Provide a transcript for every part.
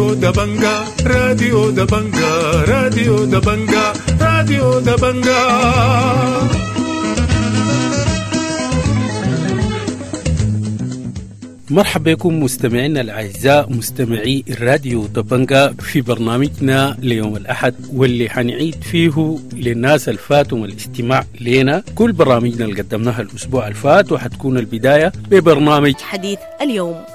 راديو دبنجا، راديو دبنجا، راديو دبنجا، راديو دبنجا. مرحبا بكم مستمعينا الأعزاء مستمعي الراديو دبنجا في برنامجنا ليوم الأحد، واللي حنعيد فيه للناس الفاتهم الاستماع لنا كل برامجنا اللي قدمناها الأسبوع الفات، وحتكون البداية ببرنامج حديث اليوم.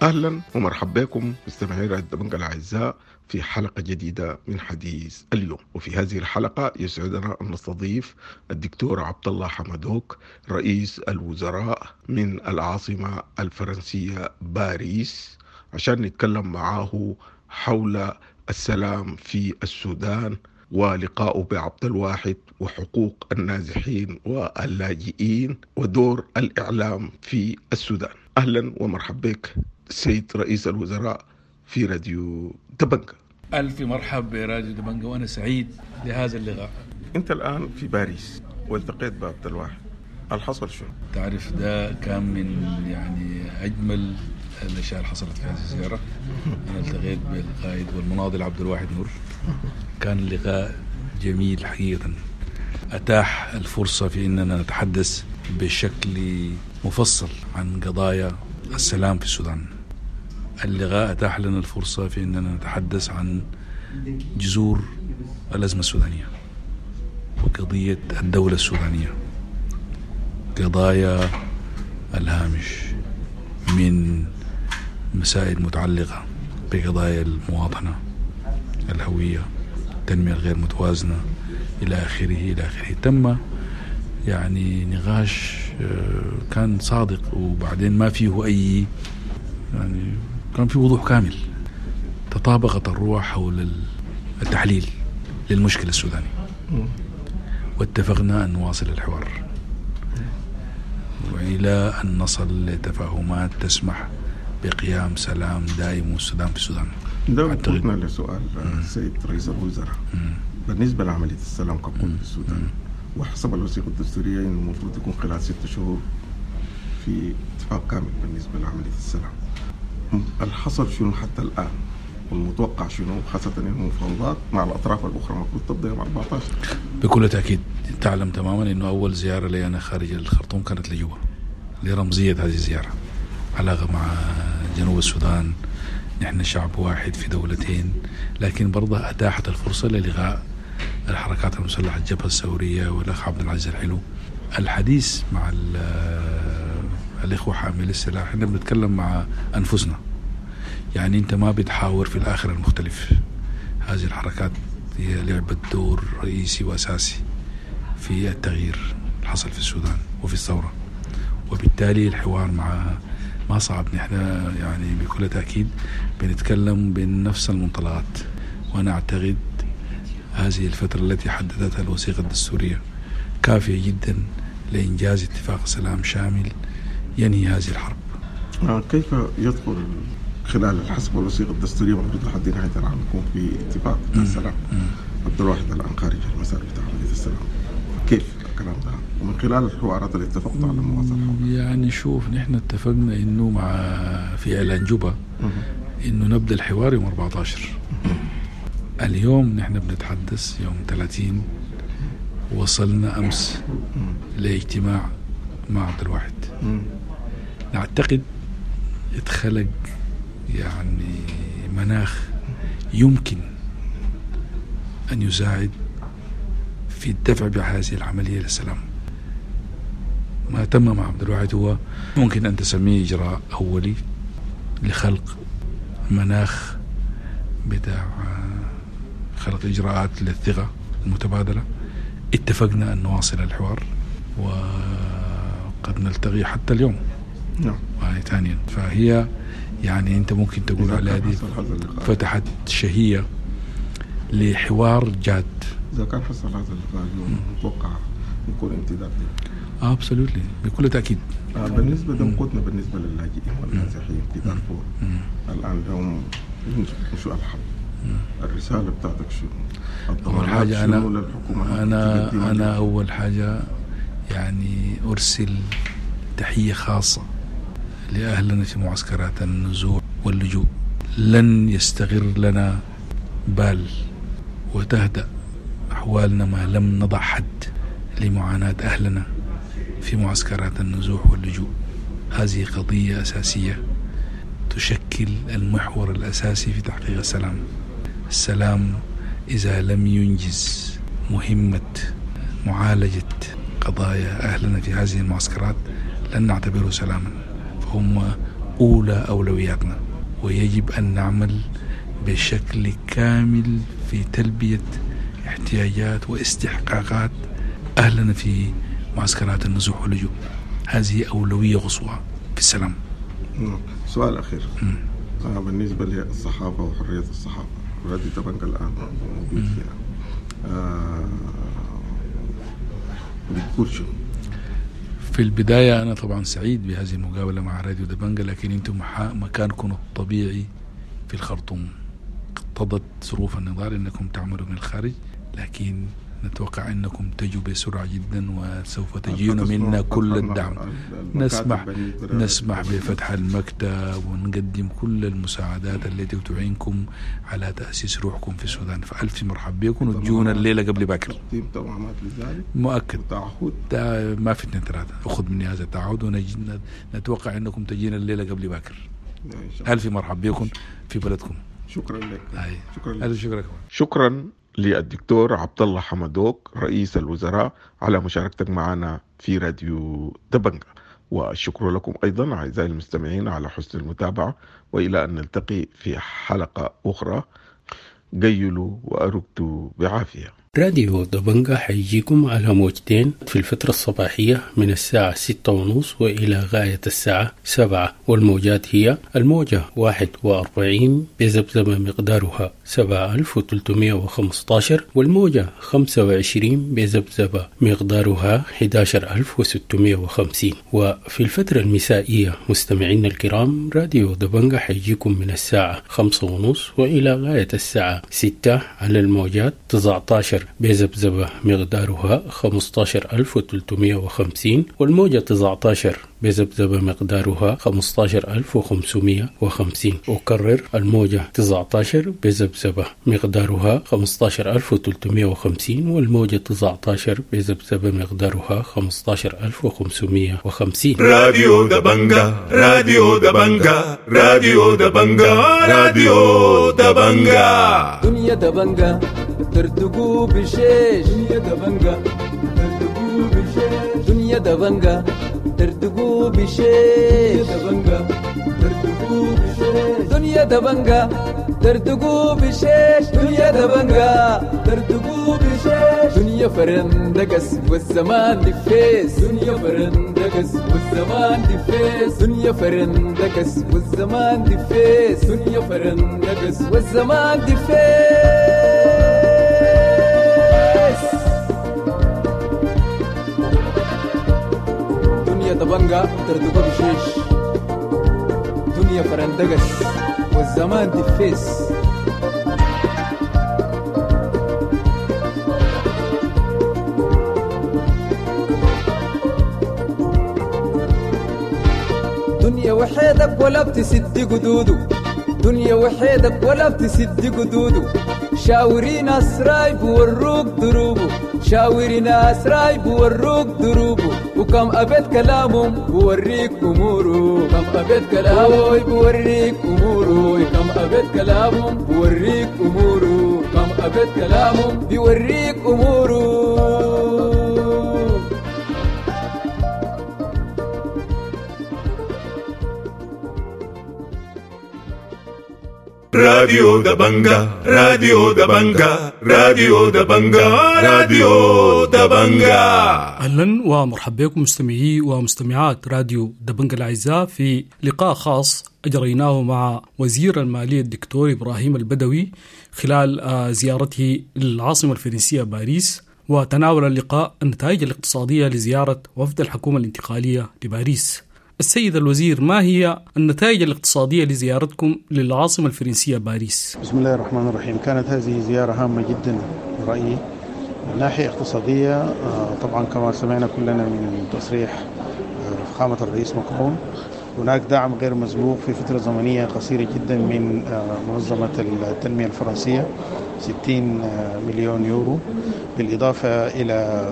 أهلا ومرحبا بكم مستمعي راديو دبنجا الأعزاء في حلقة جديدة من حديث اليوم. وفي هذه الحلقة يسعدنا أن نستضيف الدكتور عبد الله حمدوك رئيس الوزراء من العاصمة الفرنسية باريس عشان نتكلم معاه حول السلام في السودان ولقائه بعبد الواحد وحقوق النازحين واللاجئين ودور الإعلام في السودان. أهلا ومرحبا بك سيد رئيس الوزراء في راديو دبنجا. ألف مرحب براديو دبنجا، وأنا سعيد لهذا اللقاء. أنت الآن في باريس والتقيت بعبد الواحد، الحصل شو؟ تعرف ده كان من يعني أجمل الأشياء اللي حصلت في هذه الزيارة. أنا التقيت بالقائد والمناضل عبد الواحد نور، كان لقاء جميل حقيقة، أتاح الفرصة في أننا نتحدث بشكل مفصل عن قضايا السلام في السودان. اللقاء أتاح لنا الفرصة في أننا نتحدث عن جذور الأزمة السودانية وقضية الدولة السودانية، قضايا الهامش من مسائل متعلقة بقضايا المواطنة، الهوية، التنمية الغير متوازنة، إلى آخره إلى آخره. تم يعني نقاش كان صادق، وبعدين ما فيه أي يعني كان في وضوح كامل، تطابقت الروح حول التحليل للمشكلة السودانية، واتفقنا أن نواصل الحوار وإلى أن نصل لتفاهمات تسمح بقيام سلام دائم والسودان في السودان. ده قلنا لسؤال السيد رئيس الوزراء بالنسبة لعملية السلام ككل في السودان، وحسب الوثيقة الدستورية إنه المفروض يكون خلال 6 شهور في اتفاق كامل بالنسبة لعملية السلام. الحصل شنو حتى الآن والمتوقع شنو، خاصة إنه المفاوضات مع الأطراف الأخرى المفروض تبدأ يوم 14؟ بكل تأكيد تعلم تماما إنه أول زيارة لي أنا خارج الخرطوم كانت لجوبا، لرمزية هذه الزيارة، علاقة مع جنوب السودان، نحن شعب واحد في دولتين، لكن برضه أتاحت الفرصة للقاء الحركات المسلحة، الجبهة الثورية والأخ عبد العزيز الحلو. الحديث مع الإخوة حامل السلاح، احنا بنتكلم مع أنفسنا، يعني أنت ما بتحاور في الآخر المختلف. هذه الحركات هي لعبت دور رئيسي وأساسي في التغيير اللي حصل في السودان وفي الثورة، وبالتالي الحوار معها ما صعب. نحن يعني بكل تأكيد بنتكلم بنفس المنطلقات، وأنا أعتقد هذه الفترة التي حددتها الوثيقة الدستورية كافية جدا لإنجاز اتفاق سلام شامل ينهي هذه الحرب. كيف يدخل خلال حسب الوثيقة الدستورية المفروض لحد نهاية العام يكون في اتفاق السلام؟ عبد الواحد الآن خارج المسار بتاع عملية السلام، كيف الكلام ده ومن خلال الحوارات اللي اتفقت على المواصلة؟ يعني شوف، نحن اتفقنا إنه مع في إعلان جوبا إنه نبدأ الحوار يوم 14. اليوم نحن بنتحدث يوم 30، وصلنا أمس لاجتماع مع عبد الواحد. نعتقد اتخلق يعني مناخ يمكن أن يساعد في الدفع بهذه العملية للسلام. ما تم مع عبد الواحد هو ممكن أن تسميه إجراء أولي لخلق مناخ بتاع خلق إجراءات للثقة المتبادلة. اتفقنا أن نواصل الحوار وقد نلتقي حتى اليوم. نعم. ثانيا فهي يعني أنت ممكن تقول عليها دي فتحت شهية لحوار جاد اذا كان حصل هذا اللقاء اليوم متوقع يكون امتداد له. absolutely، بكل تاكيد. بالنسبة دمقتنا بالنسبة للاجئين والنازحين في دارفور الان لهم شو الحل؟ الرسالة بتاعتك شو؟ اول حاجة انا اول حاجة يعني ارسل تحية خاصة لاهلنا في معسكرات النزوح واللجوء. لن يستغر لنا بال وتهدأ أحوالنا ما لم نضع حد لمعاناة أهلنا في معسكرات النزوح واللجوء. هذه قضية أساسية تشكل المحور الأساسي في تحقيق السلام. السلام إذا لم ينجز مهمة معالجة قضايا أهلنا في هذه المعسكرات لن نعتبره سلاما، فهم أولى أولوياتنا، ويجب أن نعمل بشكل كامل في تلبية احتياجات واستحقاقات أهلنا في معسكرات النزوح واللجوء. هذه أولوية قصوى في السلام. سؤال أخير. بالنسبة للصحافة وحرية الصحافة، راديو دبنجا الآن موجود فيها، بتقول شو؟ في البداية أنا طبعا سعيد بهذه المقابلة مع راديو دبنجا، لكن أنتم مكانكم الطبيعي في الخرطوم. اقتضت ظروف النضال أنكم تعملوا من الخارج، لكن نتوقع أنكم تجوا بسرعة جدا وسوف تجيون منا كل الدعم. نسمح بفتح المكتب ونقدم كل المساعدات التي تعينكم على تأسيس روحكم في السودان. فألف مرحب بكم وتجونا الليلة قبل باكر. مؤكد تعهد ما في 2 3، أخذ مني هذا التعهد ونتوقع أنكم تجينا الليلة قبل باكر. ألف مرحب بكم في بلدكم. شكرا لك. شكرا لك. شكرا. شكرا للدكتور عبد الله حمدوك رئيس الوزراء على مشاركتك معنا في راديو دبنجا، والشكر لكم أيضا أعزائي المستمعين على حسن المتابعة، وإلى أن نلتقي في حلقة أخرى. قيلوا وأرقتوا بعافية. راديو دبنجا حيجيكم على موجتين في الفترة الصباحية من الساعة 6:30 وإلى غاية الساعة 7، والموجات هي الموجة 41 بذبذبة مقدارها 7315، والموجة 25 بذبذبة مقدارها 11650. وفي الفترة المسائية مستمعينا الكرام، راديو دبنجا حيجيكم من الساعة 5:30 وإلى غاية الساعة 6 على الموجات 19 بذبذبة مقدارها 15350، والموجة 19 بذبذبة مقدارها 15550. أكرر، الموجة 19 بذبذبة مقدارها 15350، والموجة 19 بذبذبة مقدارها 15550. راديو دبنجا، راديو دبنجا، راديو دبنجا، راديو دبنجا. دنيا دبنجا ترتقو بشيش، دنيا دبنجا ترتقو بشيش، دنيا دبنجا ترتقو بشيش، دبنجا ترتقو بشيش، دنيا دبنجا ترتقو بشيش، دنيا دبنجا ترتقو بشيش، دنيا فرندقس والزمان دفيس، دنيا فرندقس والزمان دفيس، دنيا فرندقس والزمان دفيس، دنيا فرندقس والزمان دفيس. دنيا دبنجا ترتقو بشيش، دنيا فرندقس والزمان دفيس. دنيا وحيدك ولا بتسد قدوده، دنيا وحيدك ولا بتسد قدوده، شاوري ناس رايب وروك دروبه، شاوري ناس رايب وروك دروبه، وكم أبيت كلامهم بوريك أموره، كم أبيت كلامه بوريك أموره، كم أبيت كلامهم بوريك أموره، كم أبيت كلامهم بيوريك أموره. راديو دبنجا، راديو دبنجا، راديو دبنجا، راديو دبنجا. اهلا ومرحبا بكم مستمعي ومستمعات راديو دبنجا الاعزاء في لقاء خاص اجريناه مع وزير المالية الدكتور ابراهيم البدوي خلال زيارته للعاصمه الفرنسية باريس، وتناول اللقاء النتائج الاقتصادية لزيارة وفد الحكومة الانتقالية لباريس. السيد الوزير، ما هي النتائج الاقتصادية لزيارتكم للعاصمه الفرنسية باريس؟ بسم الله الرحمن الرحيم. كانت هذه زيارة هامة جدا برأيي من ناحية اقتصادية. طبعا كما سمعنا كلنا من تصريح فخامة الرئيس ماكرون، هناك دعم غير مسبوق في فترة زمنية قصيرة جدا من منظمة التنمية الفرنسية، 60 مليون يورو، بالإضافة إلى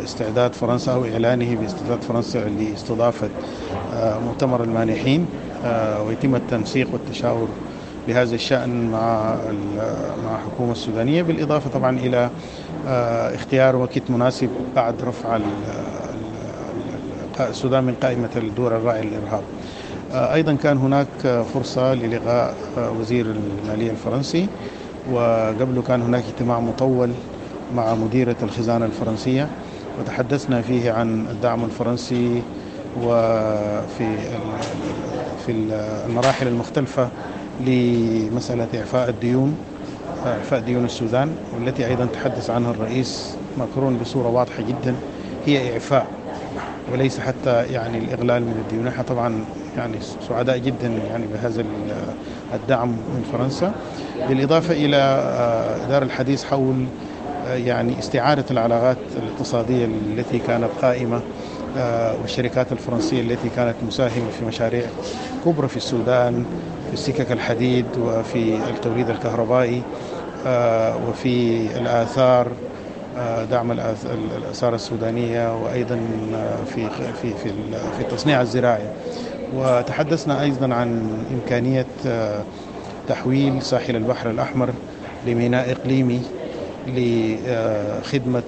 استعداد فرنسا أو إعلانه باستعداد فرنسا لاستضافة مؤتمر المانحين، ويتم التنسيق والتشاور بهذا الشأن مع الحكومة السودانية، بالإضافة طبعا إلى اختيار وقت مناسب بعد رفع السودان من قائمة الدول الراعية للإرهاب. أيضا كان هناك فرصة للقاء وزير المالية الفرنسي، وقبله كان هناك اجتماع مطول مع مديرة الخزانة الفرنسية، وتحدثنا فيه عن الدعم الفرنسي وفي في المراحل المختلفة لمسألة إعفاء الديون، إعفاء ديون السودان، والتي أيضا تحدث عنها الرئيس ماكرون بصورة واضحة جدا، هي إعفاء وليس حتى يعني الإغلال من الديون. نحن طبعا يعني سعداء جدا يعني بهذا الدعم من فرنسا، بالإضافة إلى إدارة الحديث حول يعني استعادة العلاقات الاقتصادية التي كانت قائمة، والشركات الفرنسية التي كانت مساهمة في مشاريع كبرى في السودان، في السكك الحديد وفي التوليد الكهربائي وفي الآثار، دعم الآثار السودانية، وأيضا في في في في التصنيع الزراعي. وتحدثنا أيضا عن إمكانية تحويل ساحل البحر الأحمر لميناء إقليمي لخدمة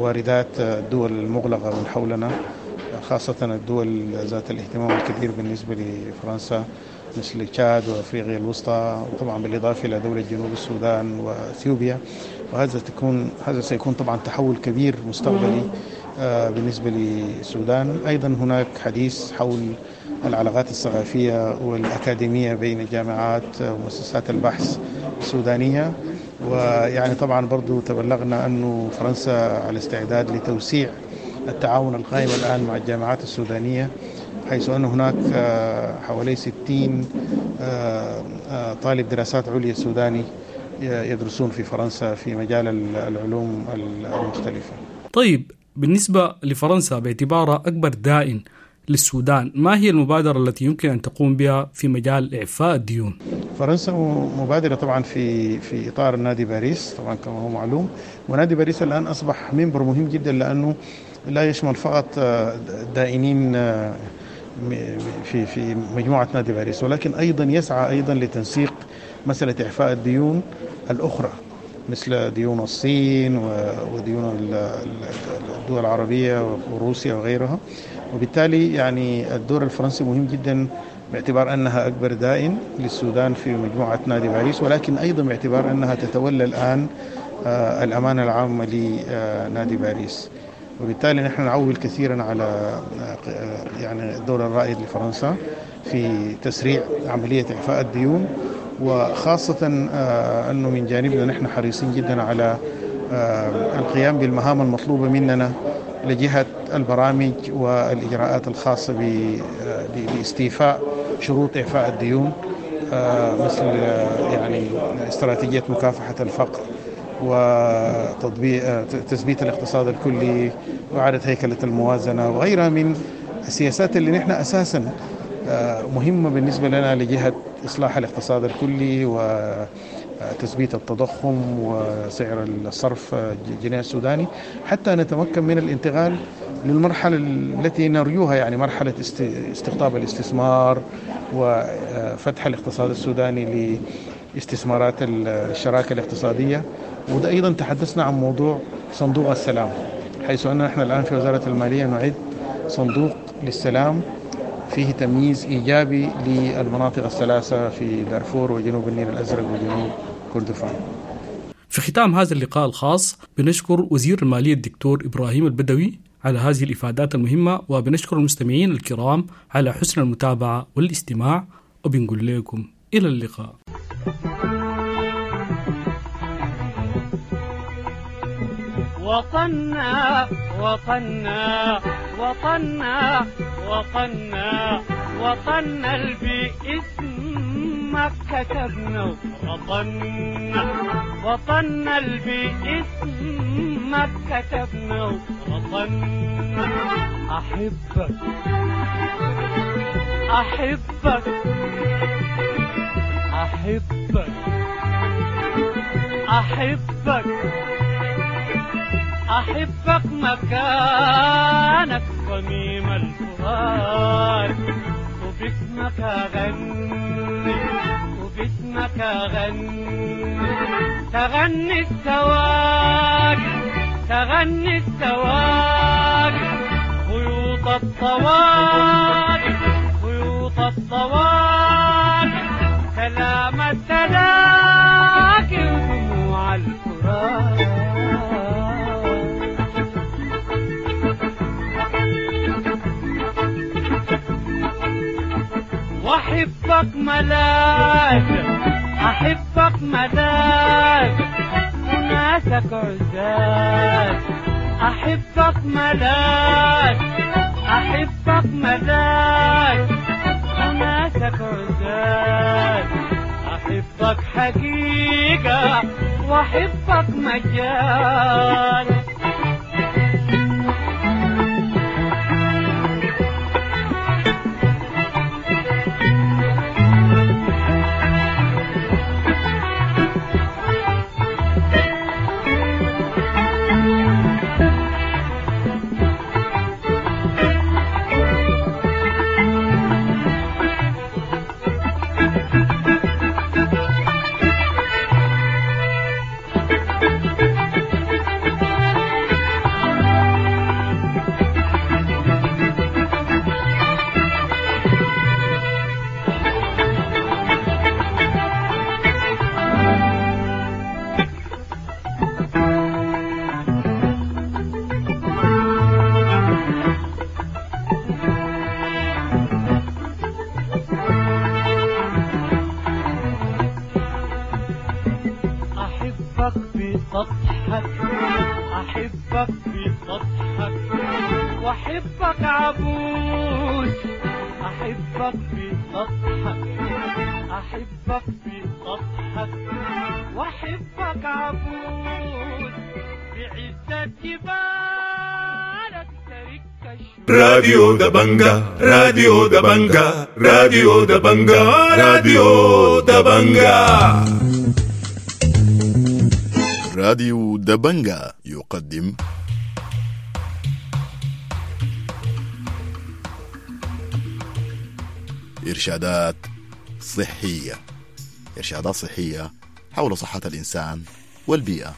واردات الدول المغلقة من حولنا، خاصة الدول ذات الاهتمام الكبير بالنسبة لفرنسا مثل تشاد وأفريقيا الوسطى، وطبعا بالإضافة إلى دولة جنوب السودان وأثيوبيا. وهذا هذا سيكون طبعا تحول كبير مستقبلي بالنسبة للسودان. أيضا هناك حديث حول العلاقات الثقافية والأكاديمية بين الجامعات ومؤسسات البحث السودانية. ويعني طبعا برضو تبلغنا أن فرنسا على استعداد لتوسيع التعاون القائم الآن مع الجامعات السودانية، حيث أن هناك حوالي 60 طالب دراسات عليا سوداني يدرسون في فرنسا في مجال العلوم المختلفة. طيب، بالنسبة لفرنسا باعتبارها أكبر دائن للسودان، ما هي المبادرة التي يمكن أن تقوم بها في مجال إعفاء الديون؟ فرنسا مبادرة طبعا في إطار نادي باريس، طبعا كما هو معلوم، ونادي باريس الآن أصبح منبر مهم جدا، لأنه لا يشمل فقط الدائنين في مجموعة نادي باريس، ولكن أيضا يسعى أيضا لتنسيق مسألة إعفاء الديون الأخرى مثل ديون الصين وديون الدول العربية وروسيا وغيرها. وبالتالي يعني الدور الفرنسي مهم جدا باعتبار أنها أكبر دائن للسودان في مجموعة نادي باريس، ولكن أيضا باعتبار أنها تتولى الآن الأمانة العامة لنادي باريس. وبالتالي نحن نعول كثيرا على يعني الدور الرائد لفرنسا في تسريع عملية إعفاء الديون، وخاصة أنه من جانبنا نحن حريصين جدا على القيام بالمهام المطلوبة مننا لجهة البرامج والإجراءات الخاصة باستيفاء شروط إعفاء الديون، مثل يعني استراتيجية مكافحة الفقر وتطبيق تثبيت الاقتصاد الكلي وإعادة هيكلة الموازنة وغيرها من السياسات اللي نحن أساسا مهمة بالنسبة لنا لجهة إصلاح الاقتصاد الكلي وتثبيت التضخم وسعر الصرف الجنيه السوداني، حتى نتمكن من الانتقال للمرحلة التي نرجوها، يعني مرحلة استقطاب الاستثمار وفتح الاقتصاد السوداني لاستثمارات الشراكة الاقتصادية. وده أيضا تحدثنا عن موضوع صندوق السلام، حيث أن نحن الآن في وزارة المالية نعد صندوق للسلام فيه تمييز إيجابي للمناطق الثلاثة في دارفور وجنوب النيل الأزرق وجنوب كردفان. في ختام هذا اللقاء الخاص بنشكر وزير المالية الدكتور إبراهيم البدوي على هذه الإفادات المهمة، وبنشكر المستمعين الكرام على حسن المتابعة والاستماع، وبنقول لكم إلى اللقاء. وطننا وطننا وطننا وطننا وطننا اللي باسمك كتبنا، وطننا وطننا اللي باسمك كتبنا، وطننا. أحبك أحبك أحبك أحبك أحبك مكانك صميم الفؤاد، وباسمك أغني وباسمك أغني، تغني السواقي تغني السواقي، خيوط الطواقي خيوط الطواقي، سلام التلاقي ودموع الفراق. وأحبك ملاذ أحبك ملاذ وناسك عزاز، أحبك ملاذ أحبك ملاذ وناسك عزاز، أحبك حقيقة وأحبك مجاز. أحبك بسطحك وأحبك عبوس، أحبك بسطحك أحبك بسطحك وأحبك عبوس، بعزة جبالك ترك. راديو دبنجا راديو دبنجا راديو دبنجا راديو دبنجا. راديو دبنجا يقدم إرشادات صحية، إرشادات صحية حول صحة الإنسان والبيئة.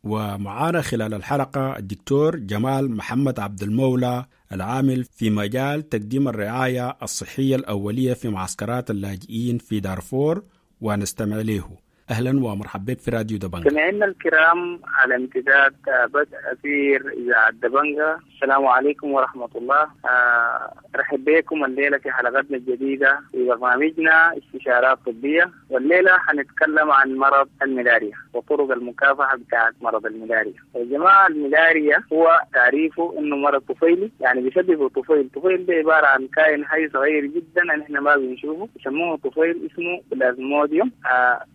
ومعانا خلال الحلقة الدكتور جمال محمد عبد المولى العامل في مجال تقديم الرعاية الصحية الأولية في معسكرات اللاجئين في دارفور، ونستمع له. أهلا ومرحبا بك في راديو دبنجا. مستمعينا الكرام على امتداد بدء أثير إذاعة دبنجا، السلام عليكم ورحمة الله. أرحب بكم الليلة في حلقتنا الجديدة في برنامجنا استشارات طبية، والليلة حنتكلم عن مرض الملاريا وطرق المكافحة بتاعة مرض الملاريا. يا جماعة الملاريا هو تعريفه إنه مرض طفيلي، يعني بيسببه طفيل. طفيل ده عبارة عن كائن حي صغير جدا نحن ما بنشوفه، يسموه طفيل، اسمه بلازموديوم.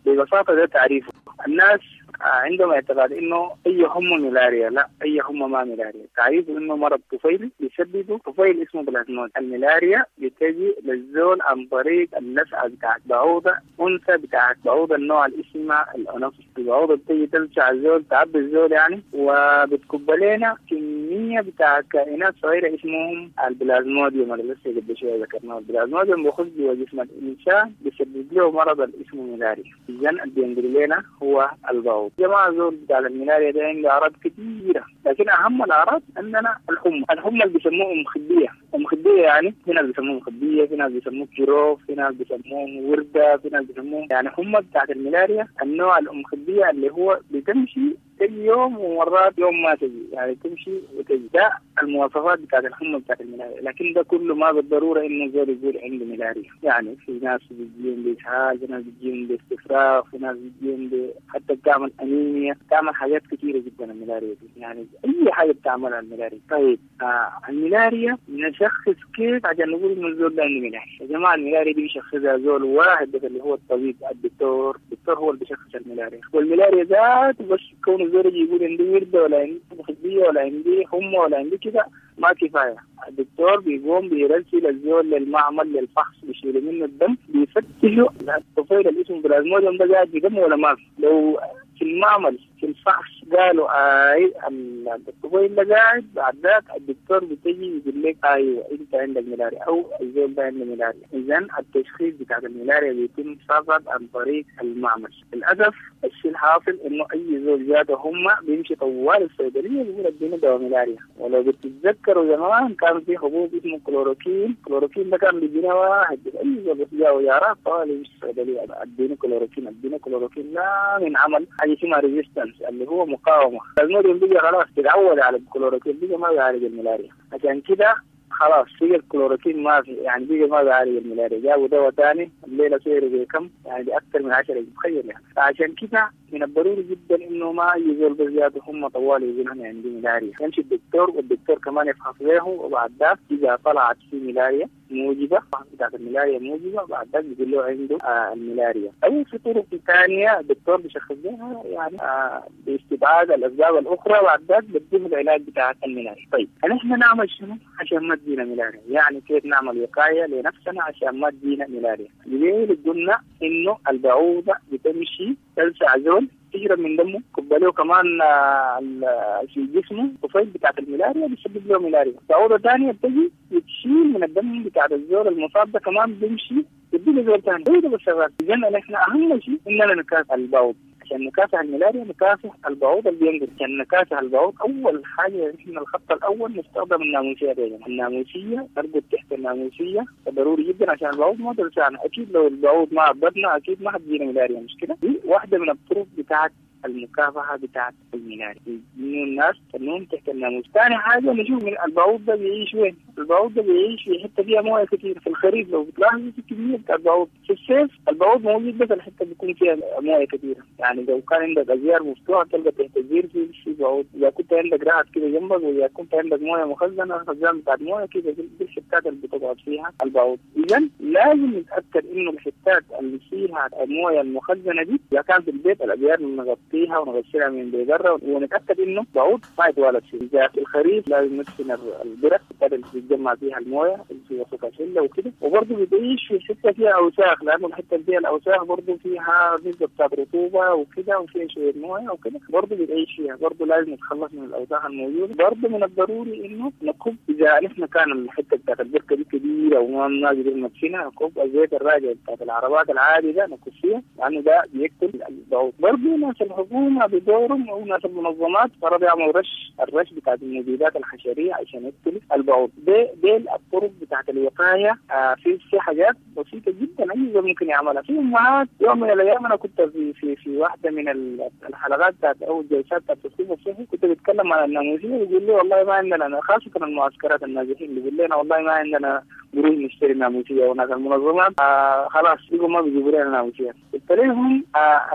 ببساطة ده تعريفه. الناس عندهم اعتقاد انه اي حمى ملاريا، لا، اي حمى ما ملاريا. تعريفه انه مرض طفيلي بيسببه طفيل اسمه بلازمود. الملاريا بتجي للزول عن طريق اللسعه بتاعت بعوضه انثى بتاعت بعوضه النوع اللي اسمها الانوفيس. البعوضه بتيجي تلسع الزول، تعبي الزول يعني، وبتكب لنا كميه بتاعت كائنات صغيره اسمهم البلازموديوم اللي لسه قبل شويه ذكرناه. البلازموديوم بيخش جوا جسم الانسان بيسبب له مرض اللي اسمه ملاريا. اذا اللي بينقل لنا هو البعوض. البعوض. جماعة زول بتاع الملاريا ده عنده اعراض كثيرة، لكن اهم الاعراض عندنا الحمى، الحمى اللي بيسموه ام خديه، ام خديه يعني في ناس بيسموه خديه، في ناس بيسموه كيروف، في ناس بيسموه ورده، في ناس بيسموه يعني حمى بتاعت الملاريا النوع الام خديه اللي هو بتمشي تجي يوم ومرات يوم ما تجي، يعني تمشي وتجي. ده المواصفات بتاعت الحمى بتاعت الملاريا، لكن ده كله ما بالضرورة انه زول يقول عنده ملاريا. يعني في ناس بتجيهم باسهال، في ناس بتجيهم باستفراغ، في ناس بتجيهم حتى بتعمل انيميا، بتعمل حاجات كثيرة جدا الملاريا دي، يعني اي حاجة بتعملها الملاريا. طيب الملاريا نشخص كيف عشان نقول انه الزول ده عنده ملاريا؟ يا جماعة الملاريا دي بيشخصها زول واحد بس اللي هو الطبيب الدكتور، الدكتور هو اللي بيشخص الملاريا، والملاريا ذاته بس كونه الزول يجي يقول عندي ورده ولا عندي خديه ولا عندي حمى ولا عندي كده ما كفاية. الدكتور بيقوم بيرسل الزول للمعمل للفحص، بيشيلوا منه الدم، بيفتشوا الطفيل اللي اسمه بلازموديوم ده قاعد في دمه ولا ما في. لو في المعمل في الفحص قالوا اي الطفيل ده قاعد، بعد ذاك الدكتور بتجي يقول لك ايوه انت عندك ملاريا او الزول ده عنده ملاريا. اذا التشخيص بتاع الملاريا بيتم فقط عن طريق المعمل. للاسف الشيء الحاصل انه اي زول جاته هم بيمشي طوال الصيدلية بيقول اديني دواء ملاريا. ولو بتتذكروا زمان كان في حبوب اسمه كلوروكين، كلوروكين ده كان بيجينا واحد اي زول بس جاء ويارات طوال يمشي الصيدلية اديني كلوروكين اديني كلوروكين، لا من عمل حاجة اسمها resistance اللي هو مقاومة. الموديوم بيجي خلاص تتعود على الكلوروكين، بيجي ما بيعالج الملاريا، عشان كده خلاص بقى الكلوروكين ما في، يعني بقى ما بيعالج الملاريا، جابوا دواء ثاني الليلة سعره بكم؟ يعني باكثر من 10 تخيل يعني. فعشان كده من الضروري جدا انه ما يزول بزيادة هم طوال يقولوا انا عندي ملاريا، يمشي الدكتور والدكتور كمان يفحص له، وبعد ذاك اذا طلعت في ملاريا موجبه بتاعت الملاريا موجبه بعد ذاك بيقول له عنده الملاريا. او في طرق ثانية الدكتور بيشخص لها يعني باستبعاد الاسباب الاخرى، بعد ذاك بيديه العلاج بتاع الملاريا. طيب نحن نعمل شنو عشان ما تجينا ملاريا؟ يعني كيف نعمل وقاية لنفسنا عشان ما تجينا ملاريا؟ ليه قلنا انه البعوضة بتمشي تلسع زول تشرب من دمه، كبلوه كمان في جسمه طفيل بتاعت الملاريا بيسبب له ملاريا. بعوضة ثانية بتجي بتشيل من الدم بتاعت الزول المصاب ده كمان بيمشي بيدي زول ثاني، هو ده بالشغال. اذا نحن اهم شيء اننا نكافح البعوض. عشان نكافح الملاريا نكافح البعوض اللي بينقل. عشان نكافح البعوض اول حاجة نحن الخط الاول نستخدم الناموسيه دي. الناموسيه نرقد تحت الناموسيه ضروري جدا عشان البعوض ما تلسعنا. اكيد لو البعوض ما عبدنا اكيد ما حتجينا ملاريا، مش كده؟ دي واحدة من الطرق بتاعت المكافحه بتاعت الملاريا، انه الناس تنوم تحت الناموس. ثاني حاجة نشوف من البعوض ده بيعيش وين؟ البعوض ده بيعيش في حتة فيها مويه كثير. في الخريف لو بتلاحظوا في كمية بتاع البعوض، في الصيف البعوض موجود بس الحتة بيكون فيها مويه كثيرة. يعني لو كان عندك ازيار مفتوحة تلقى تحت الزير في بعوض، اذا كنت عندك رعد كده جنبك، واذا كنت عندك مويه مخزنة خزان بتاعت مويه كده دي الحتات اللي بتقعد فيها البعوض. اذا لازم نتاكد انه الحتات اللي فيها المويه المخزنه دي اذا كان في البيت الابيار نغطيها ونغسلها من برا، ونتاكد انه بعوض ما يتوالد فيه. اذا في الخريف لازم ندفن البرك اللي بتتجمع فيها المويه اللي في وسط الحلة وكده. وبرضه بتعيش في حتة فيها اوساخ، لانه الحتة اللي فيها الاوساخ برضه فيها نسبه بتاعت رطوبة وكده وفيها شوية مويه وكده، برضه بتعيش فيها، برضه لازم نتخلص من الاوساخ الموجودة. برضه من الضروري انه نكب اذا نحن كان الحتة بتاعت البركة دي كبيرة وما قدرنا ندفنها، نكب الزيت الراجع بتاعت العربات العادي ده نكب فيها، لانه ده بيقتل البعوض. برضه ناس الحكومة بدورهم او ناس المنظمات فرض يعملوا رش، الرش بتاعت المبيدات الحشريه عشان يقتل البعوض. دي الطرق بتاعت الوقاية. في حاجات بسيطة جدا اي زول ممكن يعملها. في امهات يوم من الايام انا كنت في في في واحدة من الحلقات بتاعت او الجلسات بتاعت التثقيف الصحي كنت بتكلم عن الناموسيه، بيقول لي والله ما عندنا، خاصة المعسكرات النازحين بيقول لنا والله ما عندنا قروش نشتري ناموسيه، وناس المنظمات خلاص بيقوا ما بيجيبوا لنا ناموسيه. قلت لهم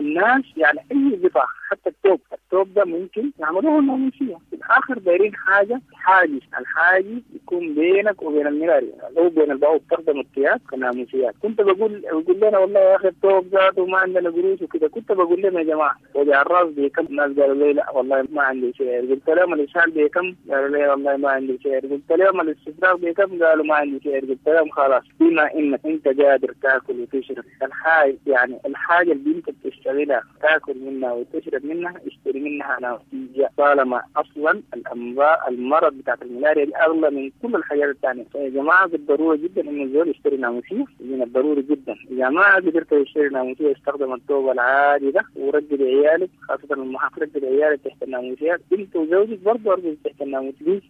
الناس يعني اي قطع حتى التوب، التوب ده ممكن يعملوه ناموسيه. في الاخر دايرين حاجة حاجز، الحاجز يكون بينك وبين الملاريا او بين البعوض، تخدم الثياب كناموسيات. كنت بقول لنا والله يا اخي التوب ذاته ما عندنا قروش وكده. كنت بقول لهم يا جماعة وجع الراس بكم؟ الناس قالوا لي لا والله ما عندي سعر. قلت لهم الاسهال بكم؟ قالوا لي والله ما عندي سعر. قلت لهم الاستفراغ بكم؟ قالوا ما عندي سعر. قلت لهم خلاص بما انك انت قادر تاكل وتشرب الحاجة، يعني الحاجة اللي انت بتشتغلها تاكل منها وتشرب تتاكد منها اشتري منها ناموسيه، طالما اصلا الامراض المرض بتاعت الملاريا دي اغلى من كل الحاجات الثانية. فيا جماعة بالضرورة جدا انه الزول يشتري ناموسيه، من الضروري جدا. اذا ما قدرت تشتري ناموسيه استخدم الثوب العادي ده ورجل عيالك، خاصة الامهات رجل عيالك تحت الناموسيات، انت وزوجك برضه ارجل تحت الناموسيه. دي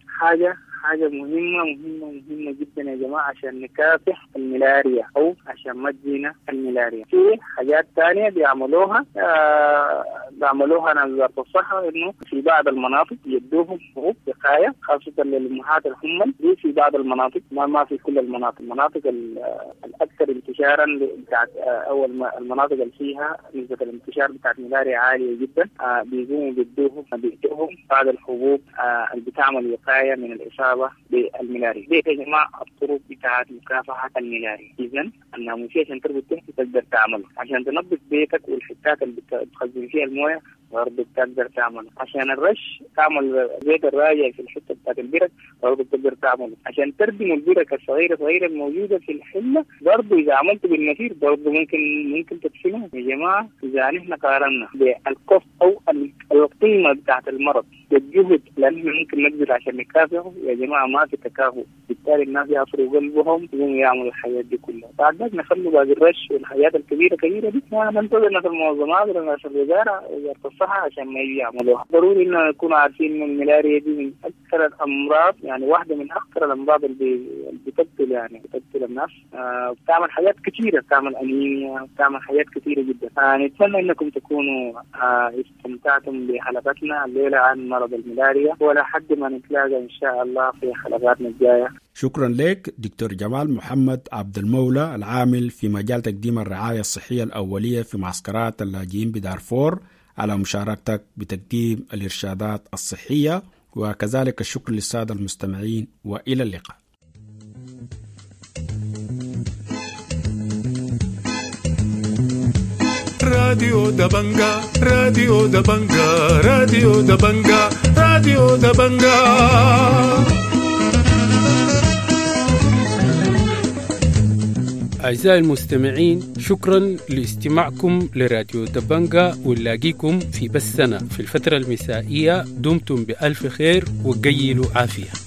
حاجة مهمة مهمة مهمة جدا يا جماعة عشان نكافح الملاريا او عشان ما تجينا الملاريا. في حاجات ثانية بيعملوها بيعملوها ناس وزارة الصحة، انه في بعض المناطق يدوهم حبوب وقاية خاصة للامهات الحمل دي في بعض المناطق، ما في كل المناطق، المناطق الاكثر انتشارا بتاعت او المناطق اللي فيها نسبه الانتشار بتاعت الملاريا عالية جدا، بيقوموا بيدوهم بعض الحبوب اللي بتعمل وقاية من الاصابة بالملاريا. دي يا جماعة الطرق بتاعت مكافحة الملاريا. اذا الناموسيه عشان تربط تحت تقدر تعمله، عشان تنظف بيتك والحتات اللي بتخزن فيها المويه برضه بتقدر تعمله، عشان الرش تعمل زيت الراجع في الحتة بتاعت البرك برضه بتقدر تعمله، عشان تردم البرك الصغيرة صغيرة الموجودة في الحلة برضه اذا عملته بالنفير برضه ممكن تدفنه. يا جماعة اذا نحن قارنا بال cost او القيمة بتاعت المرض بالجهد اللي نحن ممكن نبذل عشان نكافحه، يا جماعة ما في تكافؤ، بالتالي الناس يعصروا قلبهم يقوموا يعملوا الحاجات دي كلها. بعد ذلك نخلوا باقي الرش والحاجات الكبيرة كبيرة دي ننتظر ناس المنظمات ولا ناس الوزارة وزارة الصحة عشان ما يجي يعملوها. ضروري انه نكون عارفين انه الملاريا دي من اكثر الامراض، يعني واحدة من اخطر الامراض اللي بتقتل، يعني بتقتل الناس، بتعمل حاجات كثيرة، بتعمل انيميا، بتعمل حاجات كثيرة جدا. نتمنى انكم تكونوا استمتعتم بحلقتنا الليلة عن مرض الملاريا، ولا حد ما نتلاقى ان شاء الله في حلقاتنا الجاية. شكرا لك دكتور جمال محمد عبد المولى العامل في مجال تقديم الرعاية الصحية الأولية في معسكرات اللاجئين بدارفور على مشاركتك بتقديم الإرشادات الصحية، وكذلك الشكر للسادة المستمعين، وإلى اللقاء. راديو دبنجا، راديو دبنجا، راديو دبنجا، راديو دبنجا. أعزائي المستمعين، شكرا لاستماعكم لراديو دبنجا، ونلاقيكم في بثنا في الفترة المسائية. دمتم بألف خير وقيلوا عافية.